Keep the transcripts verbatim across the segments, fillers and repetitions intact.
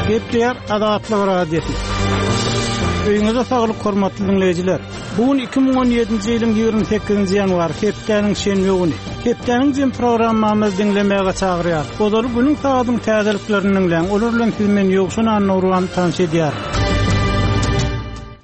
Gepleýär Azatlyk Radiosy. Öýüňize saglyk hormatly diňleýjiler. Bu gün iki müň on ýedinji ýylyň ýigrimi sekizinji ýanwary, hepdäniň şenbe güni. Hepdäniň jem programmamyzy diňlemäge çagyrýar. Ozaly günüň sagadyň täzeliklerini diňläň. Olar bilen siz men Ýowşan Annurwan tanyş edýär.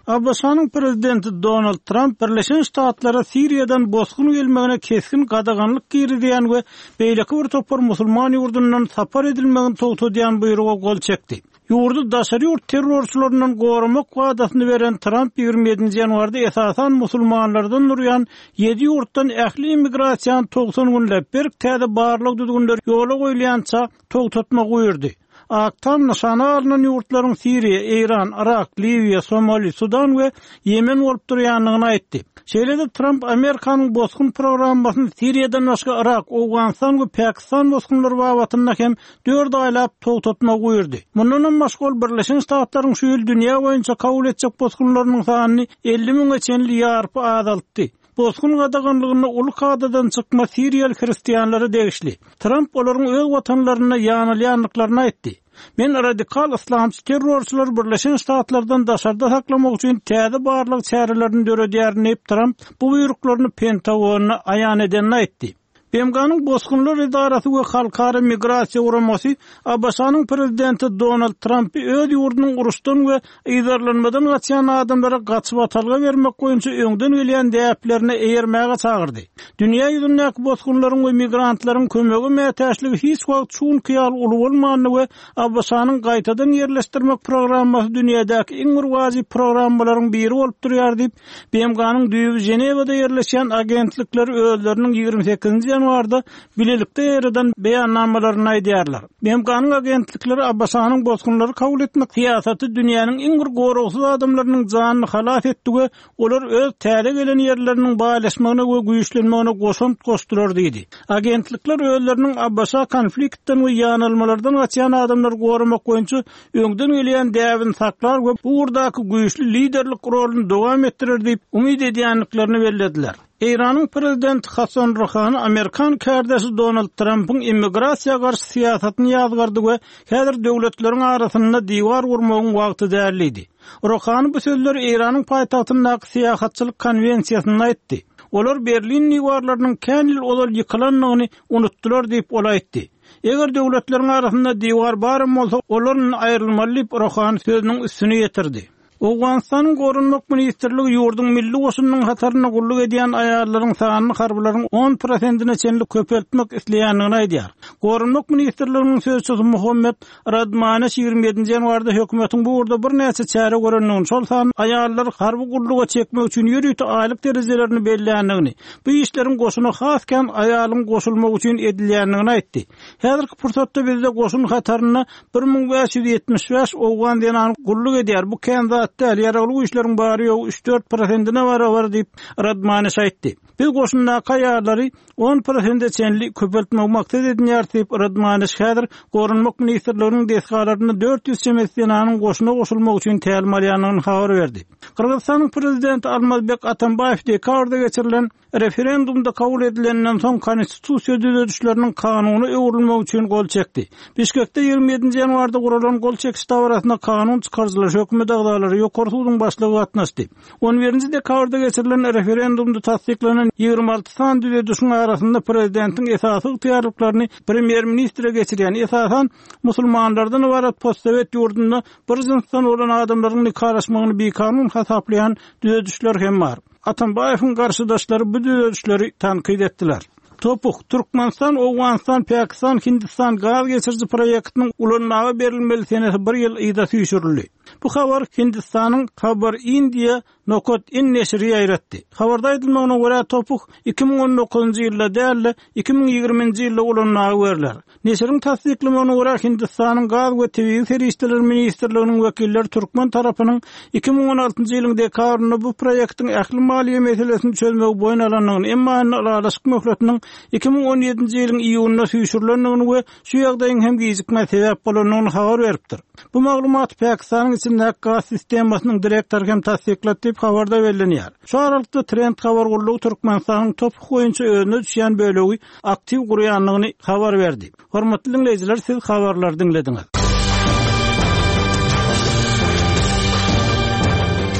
A B Ş-nyň prezidenti Donald Tramp Birleşen Ştatlara Siriýadan bosgun gelmegine kesgin gadaganlyk girizýän we beýleki bir topar musulman ýurdundan sapar edilmegini togtadýan buýruga gol çekdi. Ýurdy daşary ýurt terrorçylaryndan goramak wadasyny beren Tramp ýigrimi ýedinji ýanwarda esasan musulmanlardan durýan ýedi ýurtdan ähli immigrasiýany togsan günläp berk täze barlag düzgünleri ýola goýulýança togtatmagy buýurdy. Ak Tam nyşana alynan ýurtlaryň Siriýa, Eýran, Irak, Liwiýa, Somali, Sudan we Ýemen bolup durýandygyny aýtdy. Şeýle-de Tramp Amerikanyň bosgun programmasyny Siriýadan başga Irak, Owganystan we Pakistan bosgunlary babatynda hem dört aýlap togtatmagy buýurdy. Mundan hem başga ol Birleşen Ştatlaryň şu ýyl dünýä boýunça kabul etjek bosgunlarynyň sanyny elli müňe çenli ýarpy azaltdy. Bosgun gadaganlygynda uly kadadan çykma Siriýaly hristianlara degişli. Tramp olaryň öz watanlarynda ýanylýandyklaryny aýtdy. Men radikal islamçy terrorçylary Birleşen Ştatlardan daşarda saklamak üçin täze barlyk çärelerini döredýär diýip Tramp bu buýruklaryny Pentagonyna aýan edenini aýtdy. B M G-nyň Bosgunlar Edarasy we Halkara Migrasiýa Guramasy A B Ş-nyň prezidenti Donald Trumpy öz ýurdunyň uruşdan we yzarlanmadan gaçýan adamlara gaçyp atalga bermek boýunça öňden gelýän däplerine eýermäge çagyrdy. Dünýä ýüzündäki bosgunlaryň we migrantlaryň kömegi mätäçligi hiç wagt şunky ýaly uly bolmandy we A B Ş-nyň gaýtadan ýerleşdirmek programmasy dünýädäki iň bir wajyp programmalaryň biri bolup durýar diýip, B M G-nyň düýbi Ženewada ýerleşýän agentlikleri özleriniň ýigrimi sekizinji ýanwarda bilelikde ýerden beýannamalaryny aýdýarlar. B M G-nyň agentlikleri A B Ş-nyň bosgunlary kabul etmek syýasaty dünýäniň iň bir goragsyz adamlarynyň janyny halas etdi we olar öz täze gelen ýerleriniň baýlaşmagyna we güýçlenmegine goşant goşdular diýdi. Agentlikler özleriniň A B Ş konfliktden we ýanalmalardan gaçýan adamlary goramak boýunça öňden gelýän däbini saklar we bu ugurdaky güýçli liderlik roluny dowam etdirer diýip umyt edýändiklerini bellediler. Eýranyň prezidenti Hasan Ruhani Amerikan kärdeşi Donald Trumpyň immigrasiýa garşy syýasatyny ýazgardy we häzir döwletleriň arasynda diwar gurmagyň wagty däldi. Ruhani bu sözleri Eýranyň paýtagtyndaky syýahatçylyk konwensiýasynda aýtdy. Olar Berlin diwarlarynyň kän ýyl ozal ýykylandygyny unutdylar diýip ol aýtdy. Eger döwletleriň arasynda diwar barym bolsa, olar aýrylmaly diýip Ruhani sözüniň üstüne ýetirdi. Owganystanyň Goranmak Ministrligi ýurduň milli goşunynyň hataryna gulluk edýän aýallaryň sanyny harbylaryň on prosentine çenli köpeltmek isleýändigini aýdýar. Goranmak Ministrliginiň sözçüsi Muhammed Radmaneş ýigrimi ýedinji ýanwarda hökümetiň bu ugurda birnäçe çäre görendigini, şol sanda aýallary harby gulluga çekmek üçin ýörite aýlyk derejelerini belleýändigini, bu işleriň goşuna has kän aýalyň goşulmagy üçin edilýändigini aýtdy. Häzirki pursatda bizde goşun hatarynda bir müň bäş ýüz ýetmiş bäş owgan zenany gulluk edýär. Bu kän zat däl, ýaragly güýçleriň bary ýok üç dört prosentine barabar diýip Radmaneş aýtdy. Biz goşundaky aýallary on prosente çenli köpeltmek maksat edinýär diýip Radmaneş häzir Goranmak Ministrliginiň desgalarynda dört ýüz çemesi zenanyň goşuna goşulmak üçin tälim alýandygyny habar berdi. Gyrgyzystanyň prezidenti Almazbek Atambaýew dekabrda geçirilen referendumda kabul edilenden soň konstitusiýa düzedişleriniň kanuny öwrülmegi üçin gol çekdi. Bişkekde ýigrimi ýedinji ýanwarda guralan gol çekiş dabarasyna kanun çykaryjylar, hökümet agzalary, ýokary suduň başlygy gatnaşdy. On birinji dekabrda geçirilen referendumda tassyklanan ýigrimi alty sany düzedişiň arasynda prezidentiň esasy ygtyýarlyklaryny premýer-ministre geçirýän esasan musulmanlardan ybarat postsowet ýurdunda bir jynsdan bolan adamlaryň nikalaşmagyny bikanun hasaplaýan düzedişler hem bar. Atambaýewiň garşydaşlary bu düzedişleri tankyt etdiler. Topuk, Türkmenistan, Owganystan, Pakistan, Hindistan gaz geçiriji proýektiniň ulanmaga berilmeli senesi bir ýyl yza süýşürildi. Bu habar Hindistanyň Habar India nokat in neşiri ýaýratdy. Habarda aýdylmagyna görä Topuk iki müň on dokuzynjy ýylda däl-de iki müň ýigriminji ýylda ulanmaga berler. Neşiriň tassyklamagyna görä Hindistanyň Gaz we Tebigy Serişdeler Ministrliginiň wekilleri türkmen tarapynyň iki müň on altynjy ýylyň dekabrynda bu proýektiň ähli maliýe meselesini çözmegi boýun alandygyny, emma indi ylalaşyk möhletiniň iki müň on ýedinji ýylyň iýunynda süýşürilendigini we şu ýagdaýyň hem gijikmä sebäp bolandygyny habar beripdir. Bu maglumat Pakistanyň içindäki gaz sistemasynyň direktory hem tassyklady diýip habarda bellenýär. Şu aralykda Trend habar gullugy Türkmenistanyň Topuk boýunça özüne düşýän bölegi aktiw gurýandygyny habar berdi. Hormatly dinleýjiler, siz habarlary diňlediňiz.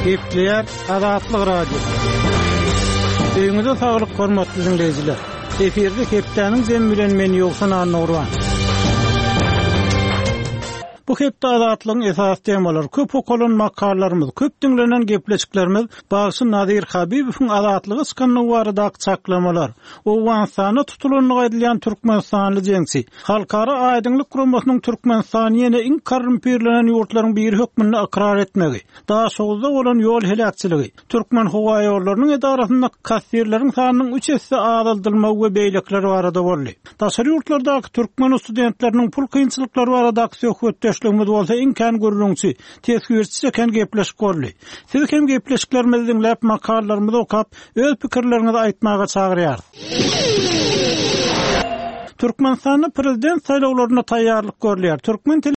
Gepleýär Azatlyk Radiosy. Öýüňize saglyk hormatly diňleýjiler. Efirde hepdäniň jemi bilen men Ýowşan Annagurban. Bu hepde Azatlygyň esasy temalary, köp okalan makalalarymyz, köp diňlenen gepleşiklerimiz bagşy Nazir Habibowyň azatlyga çykanlygy baradaky çaklamalar, Owganystanda tutulandygy aýdylýan türkmenistanly jeňçi, Halkara Aýdyňlyk guramasynyň Türkmenistany ýene iň korrumpirlenen ýurtlaryň biri hökmünde ykrar etmegi, Daşoguzda bolan ýol heläkçiligi, Türkmenhowaýollarynyň edarasynda kassirleriň sanynyň üç esse azaldylmagy we beýlekiler barada boldy. Daşary ýurtlardaky türkmen studentleriniň pul kynçylyklary baradaky söhbetdeşligimiz bolsa iň kän gürrüňçi, teswirçi çeken gepleşik boldy. Sizi hem gepleşiklerimizi diňläp, makalalarymyzy okap, öz pikirleriňizi aýtmaga çagyrýarys. Türkmenistanda prezident saýlawlaryna taýýarlyk görülýär. Türkmen